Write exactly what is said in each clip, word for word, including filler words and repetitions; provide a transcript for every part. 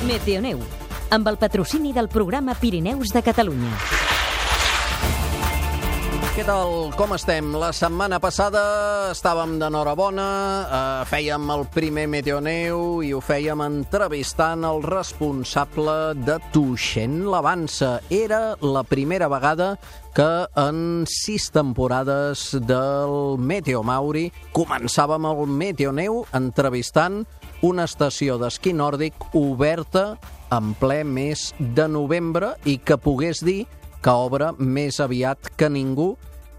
Meteoneu, amb el patrocini del programa Pirineus de Catalunya. Què tal? Com estem? La setmana passada estàvem d'enhorabona, eh, fèiem el primer Meteoneu i ho fèiem entrevistant el responsable de Tuixén l'Avança. Era la primera vegada que en sis temporades del Meteo Mauri començàvem el Meteoneu entrevistant una estació d'esquí nòrdic oberta en ple mes de novembre i que pogués dir que obre més aviat que ningú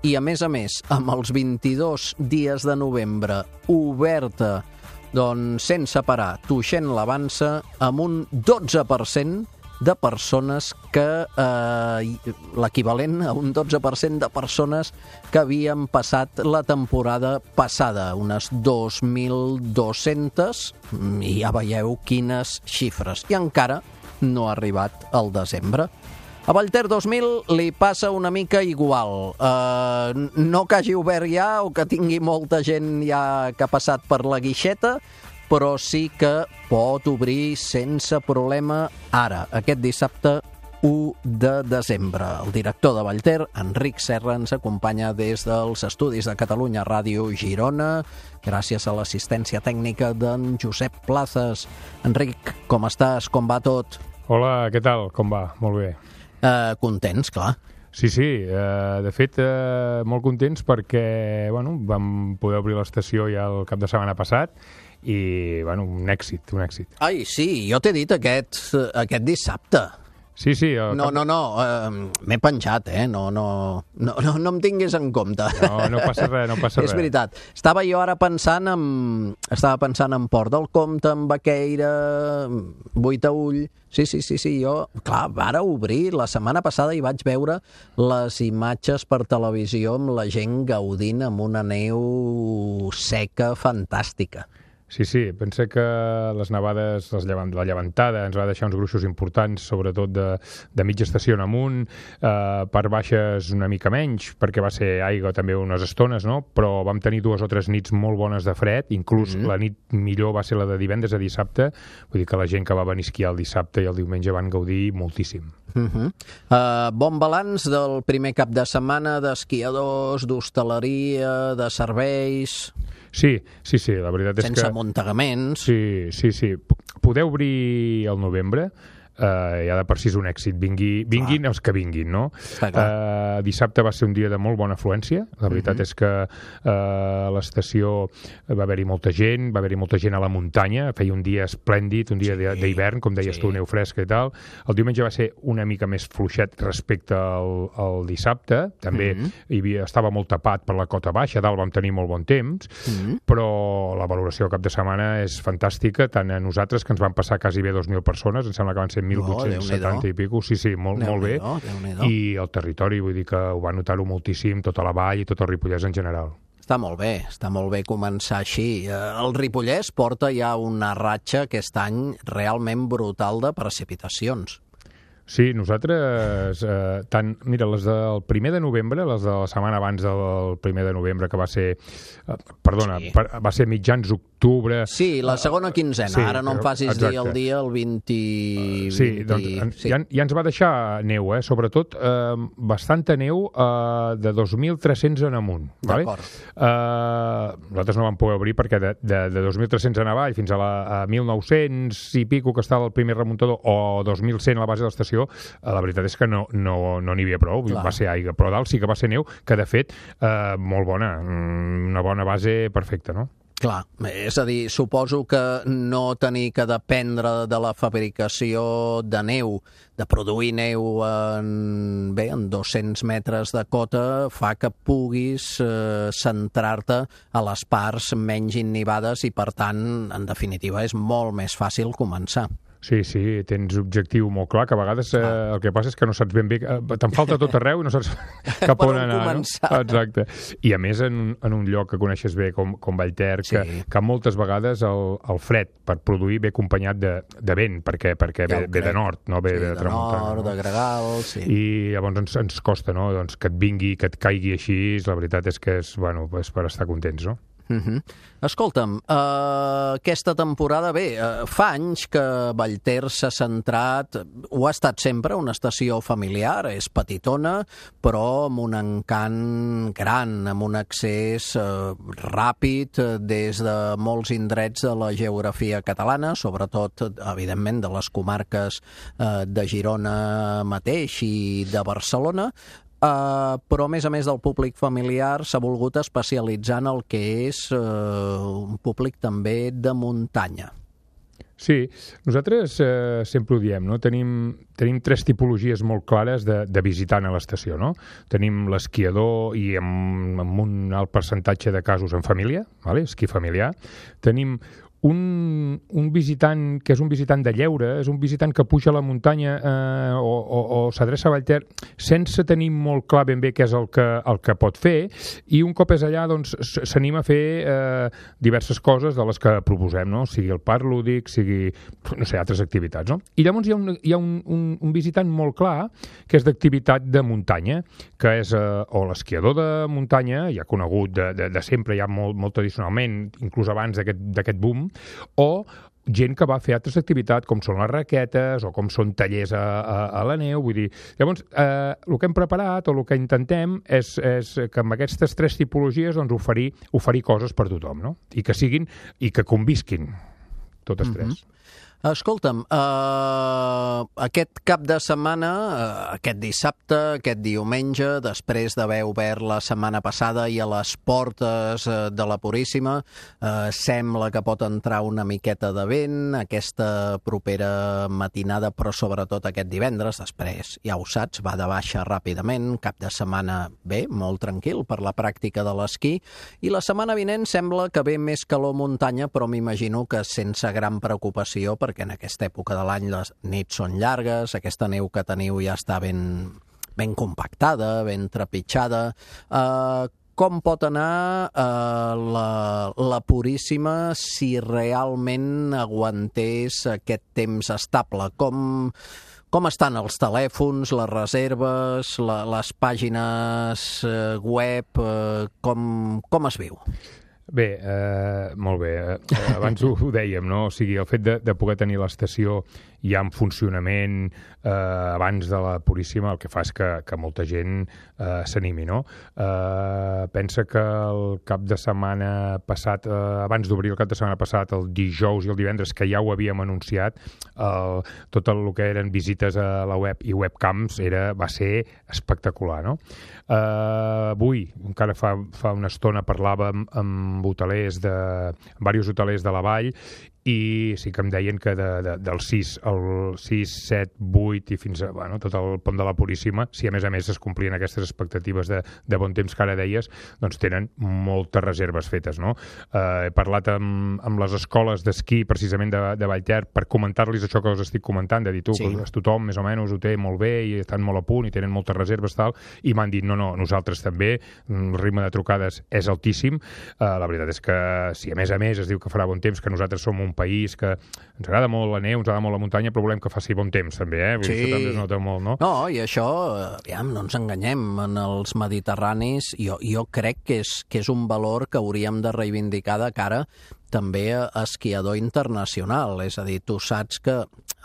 i, a més a més, amb els vint-i-dos dies de novembre oberta, doncs, sense parar, Tuixén l'Avança, amb un dotze per cent de persones que... Eh, l'equivalent a un dotze per cent de persones que havien passat la temporada passada, unes dos mil dos-centes, i ja veieu quines xifres. I encara no ha arribat el desembre. A Vallter dos mil li passa una mica igual. Uh, no que hagi obert ja o que tingui molta gent ja que ha passat per la guixeta, però sí que pot obrir sense problema ara, aquest dissabte u de desembre. El director de Vallter, Enric Serra, ens acompanya des dels estudis de Catalunya Ràdio Girona, gràcies a l'assistència tècnica d'en Josep Plazas. Enric, com estàs? Com va tot? Hola, què tal? Com va? Molt bé. Uh, contents, clar. Sí, sí, uh, de fet, uh, molt contents perquè bueno, vam poder obrir l'estació ja el cap de setmana passat i bueno, un èxit, un èxit. Ai, sí, jo t'he dit aquest, aquest dissabte. Sí, sí. No, no, no, uh, m'he penjat, eh? No, no, no, no, no em tinguis en compte. No, no passa res, no passa res. És veritat. Estava jo ara pensant en... Estava pensant en Port del Comte, en Baqueira, Boitaull... Sí, sí, sí, sí, jo... Clar, vara obrir la setmana passada i vaig veure les imatges per televisió amb la gent gaudint amb una neu seca fantàstica. Sí, sí, pensa que les nevades, les llevant, la llevantada ens va deixar uns gruixos importants, sobretot de, de mitja estació en amunt, eh, per baixes una mica menys, perquè va ser aigua també unes estones, no? Però vam tenir dues o tres nits molt bones de fred, inclús mm-hmm. la nit millor va ser la de divendres a dissabte, vull dir que la gent que va venir a esquiar el dissabte i el diumenge van gaudir moltíssim. Uh-huh. Uh, bon balanç del primer cap de setmana d'esquiadors, d'hostaleria, de serveis... Sí, sí, sí, la veritat és Sense que... Sense amuntegaments. Sí, sí, sí. Poder obrir el novembre Uh, ja de per si és un èxit, vingui, vinguin clar. Els que vinguin, no? Uh, dissabte va ser un dia de molt bona afluència, la veritat uh-huh. és que uh, a l'estació va haver-hi molta gent, va haver-hi molta gent a la muntanya, feia un dia esplèndid, un dia sí. d'hivern, com deies sí. tu, neu fresca i tal. El diumenge va ser una mica més fluixet respecte al, al dissabte, també uh-huh. hi havia, estava molt tapat per la cota baixa, dalt vam tenir molt bon temps, uh-huh. però la valoració al cap de setmana és fantàstica, tant a nosaltres, que ens van passar quasi bé dos mil persones, em sembla que van ser mil vuit-cents setanta i pico, sí, sí, molt, molt bé. I el territori, vull dir que ho va notar-ho moltíssim, tota la vall i tot el Ripollès en general. Està molt bé, està molt bé començar així. El Ripollès porta ja una ratxa aquest any realment brutal de precipitacions. Sí, nosaltres, eh, tant, mira, les del primer de novembre, les de la setmana abans del primer de novembre, que va ser, eh, perdona, sí. per, va ser mitjans d'octubre... Sí, la segona quinzena, sí, ara no em facis exacte. dir el dia, el vint... Uh, sí, vint... doncs en, sí. Ja, ja ens va deixar neu, eh? Sobretot eh, bastanta neu eh, de dos mil tres-cents en amunt. D'acord. Vale? Eh, nosaltres no vam poder obrir perquè de, de, de dos mil tres-cents en avall fins a, la, a mil nou-cents i pico, que estava el primer remuntador, o dos mil cent a la base de l'estació, la veritat és que no no, no n'hi havia prou, clar. Va ser aigua, però dalt sí que va ser neu, que de fet eh, molt bona, una bona base perfecta, no? Clar, és a dir, suposo que no tenir que dependre de la fabricació de neu, de produir neu en, bé, en dos-cents metres de cota, fa que puguis eh, centrar-te a les parts menys innivades i, per tant, en definitiva, és molt més fàcil començar. Sí, sí, tens objectiu molt clar, que a vegades eh, el que passa és que no saps ben bé... Eh, te'n falta tot arreu i no saps cap on anar. Començar. No? Exacte. I a més en, en un lloc que coneixes bé com, com Vallter, sí. que, que moltes vegades el, el fred per produir ve acompanyat de, de vent, perquè, perquè ja ve, ve de nord, no ve sí, de, de tramuntana. nord, no? de gregal, sí. I llavors ens, ens costa, no?, doncs que et vingui, que et caigui així, la veritat és que és, bueno, és per estar contents, no? Uh-huh. Escolta'm, uh, aquesta temporada, bé, uh, fa anys que Vallter s'ha centrat, ho ha estat sempre, una estació familiar, és petitona, però amb un encant gran, amb un accés uh, ràpid uh, des de molts indrets de la geografia catalana, sobretot, evidentment, de les comarques uh, de Girona mateix i de Barcelona. Uh, però a més a més del públic familiar s'ha volgut especialitzar en el que és uh, un públic també de muntanya. Sí, nosaltres eh, sempre ho diem, no? Tenim, tenim tres tipologies molt clares de, de visitant a l'estació, no? Tenim l'esquiador i amb, amb un alt percentatge de casos en família, vale? Esquí familiar. Tenim Un, un visitant que és un visitant de lleure, és un visitant que puja a la muntanya eh, o, o, o s'adreça a Vallter sense tenir molt clar ben bé què és el que, el que pot fer, i un cop és allà doncs s'anima a fer eh, diverses coses de les que proposem, no? Sigui el parc lúdic, sigui, no sé, altres activitats, no? I llavors hi ha un, hi ha un, un, un visitant molt clar que és d'activitat de muntanya, que és eh, o l'esquiador de muntanya, ja conegut de, de, de sempre, ja molt, molt tradicionalment, inclús abans d'aquest boom, o gent que va fer altres activitats com són les raquetes o com són tallers a, a, a la neu, vull dir, llavors eh, el que hem preparat o el que intentem és, és que amb aquestes tres tipologies doncs, oferir, oferir coses per tothom, no? I que siguin, i que convisquin totes tres. Mm-hmm. Escolta'm, uh, aquest cap de setmana, uh, aquest dissabte, aquest diumenge, després d'haver obert la setmana passada i a les portes uh, de la Puríssima, uh, sembla que pot entrar una miqueta de vent aquesta propera matinada, però sobretot aquest divendres, després, ja ho saps, va de baixa ràpidament, cap de setmana bé, molt tranquil per la pràctica de l'esquí, i la setmana vinent sembla que ve més calor muntanya, però m'imagino que sense gran preocupació, perquè en aquesta època de l'any les nits són llargues, aquesta neu que teniu ja està ben, ben compactada, ben trepitjada. Uh, com pot anar uh, la, la Puríssima si realment aguantés aquest temps estable? Com, com estan els telèfons, les reserves, la, les pàgines uh, web, uh, com, com es viu? Bé, eh, molt bé. Eh, abans ho, ho dèiem, no? O sigui, el fet de, de poder tenir l'estació ja en funcionament eh, abans de la Puríssima, el que fa és que, que molta gent eh, s'animi, no? Eh, pensa que el cap de setmana passat, eh, abans d'obrir el cap de setmana passat, el dijous i el divendres, que ja ho havíem anunciat, eh, tot el que eren visites a la web i webcams era, va ser espectacular, no? Eh, avui, encara fa, fa una estona, parlàvem amb hotelers de, amb diversos hotelers de la vall, i sí que em deien que de, de, del sis al sis, set, vuit i fins a bueno, tot el pont de la Puríssima, si a més a més es complien aquestes expectatives de, de bon temps que ara deies, doncs tenen moltes reserves fetes, no? Eh, he parlat amb, amb les escoles d'esquí precisament de, de Vallter per comentar-los això que us estic comentant, de dir tu, sí. que tothom més o menys ho té molt bé i estan molt a punt i tenen moltes reserves, tal, i m'han dit, no, no, nosaltres també, el ritme de trucades és altíssim. Eh, la veritat és que si a més a més es diu que farà bon temps, que nosaltres som un país que ens agrada molt la neu, ens agrada molt la muntanya, però volem que faci bon temps, també, eh? Sí. Això també es nota molt, no? No, i això, aviam, no ens enganyem, en els mediterranis, jo, jo crec que és, que és un valor que hauríem de reivindicar de cara també a esquiador internacional, és a dir, tu saps que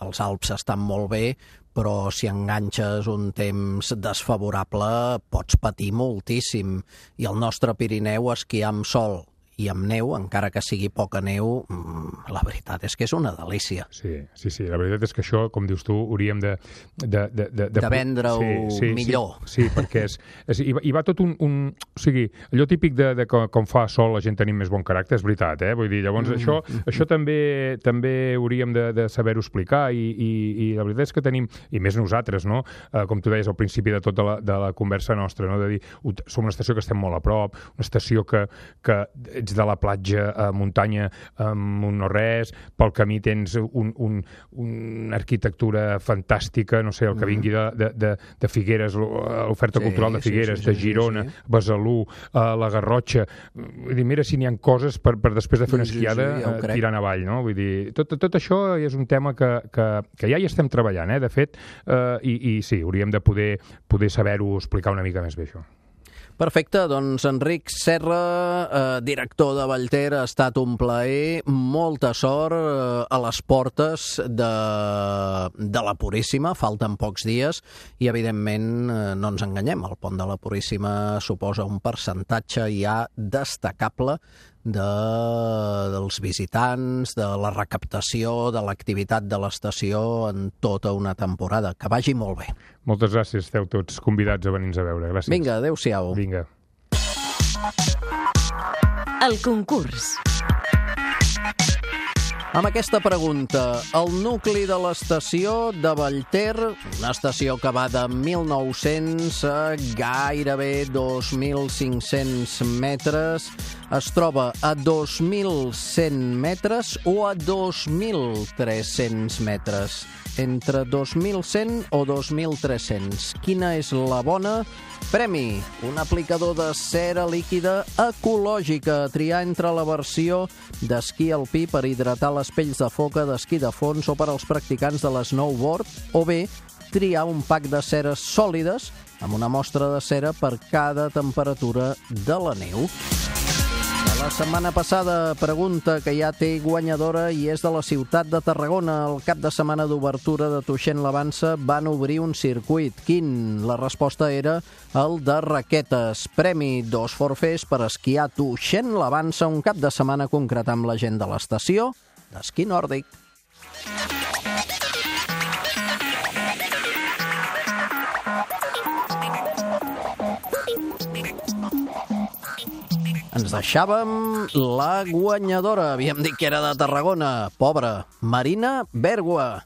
els Alps estan molt bé, però si enganxes un temps desfavorable pots patir moltíssim, i el nostre Pirineu esquiar amb sol i amb neu, encara que sigui poca neu, la veritat és que és una delícia. Sí, sí, sí, la veritat és que això, com dius tu, hauríem de... De, de, de, de vendre-ho sí, sí, millor. Sí, sí, perquè és, és, hi, va, hi va tot un, un... O sigui, allò típic de, de que com fa sol la gent tenim més bon caràcter, és veritat, eh? Vull dir, llavors mm, això, mm, això també també hauríem de, de saber-ho explicar, i, i, i la veritat és que tenim, i més nosaltres, no? Eh, com tu deies al principi de tota la, de la conversa nostra, no? De dir, som una estació que estem molt a prop, una estació que, que ets de la platja a muntanya amb un no res, pel camí tens un, un, una arquitectura fantàstica, no sé, el que vingui de, de, de, de Figueres, l'oferta sí, cultural de Figueres, sí, sí, de Girona, sí, sí. Besalú, uh, la Garrotxa. Vull dir, mira si n'hi ha coses per, per després de fer una esquiada sí, sí, ja tirant avall, no? Vull dir, tot, tot això és un tema que, que, que ja hi estem treballant, eh? De fet, uh, i, i sí, hauríem de poder, poder saber-ho explicar una mica més bé, això. Perfecte, doncs Enric Serra, eh, director de Vallter, ha estat un plaer, molta sort eh, a les portes de, de la Puríssima, falten pocs dies i evidentment eh, no ens enganyem, el pont de la Puríssima suposa un percentatge ja destacable de, dels visitants, de la recaptació, de l'activitat de l'estació en tota una temporada. Que vagi molt bé. Moltes gràcies, esteu tots convidats a venir-nos a veure. Gràcies. Vinga, adéu-siau. Vinga. El concurs. Amb aquesta pregunta, el nucli de l'estació de Vallter, una estació que va de mil nou-cents a gairebé dos mil cinc-cents metres, es troba a dos mil cent metres o a dos mil tres-cents metres? Entre dos mil cent o dos mil tres-cents. Quina és la bona? Premi: un aplicador de cera líquida ecològica, a triar entre la versió d'esquí alpí per hidratar les pells de foca d'esquí de fons o per als practicants de l'snowboard, o bé triar un pack de ceres sòlides amb una mostra de cera per cada temperatura de la neu. La setmana passada, pregunta que ja té guanyadora i és de la ciutat de Tarragona. El cap de setmana d'obertura de Tuixén-l'Avança van obrir un circuit. Quin? La resposta era el de raquetes. Premi: dos forfers per esquiar a Tuixén-l'Avança un cap de setmana, concretar amb la gent de l'estació d'esquí nòrdic. Ens deixàvem la guanyadora. Havíem dit que era de Tarragona. Pobra, Marina Bèrgua.